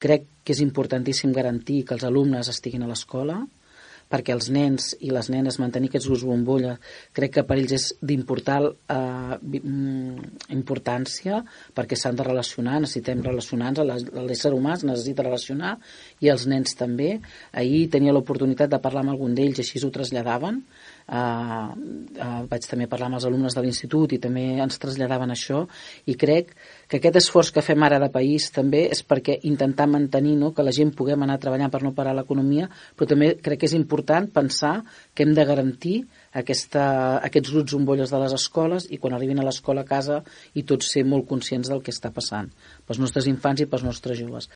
Crec que és importantíssim garantir que els alumnes estiguin a l'escola, perquè els nens i les nenes mantenir aquests grups bombolla crec que per ells és d'important importància, perquè s'han de relacionar, necessitem relacionar-nos, l'ésser humà es necessita relacionar i els nens també. Ahir tenia l'oportunitat de parlar amb algun d'ells i així ho traslladaven. Vaig també parlar amb els alumnes de l'institut i també ens traslladaven això, i crec que aquest esforç que fem ara de país també és perquè intentar mantenir, no, que la gent puguem anar treballant per no parar l'economia, però també crec que és important pensar que hem de garantir aquests grups bombolles de les escoles i quan arribin a l'escola a casa i tots ser molt conscients del que està passant pels nostres infants i pels nostres joves.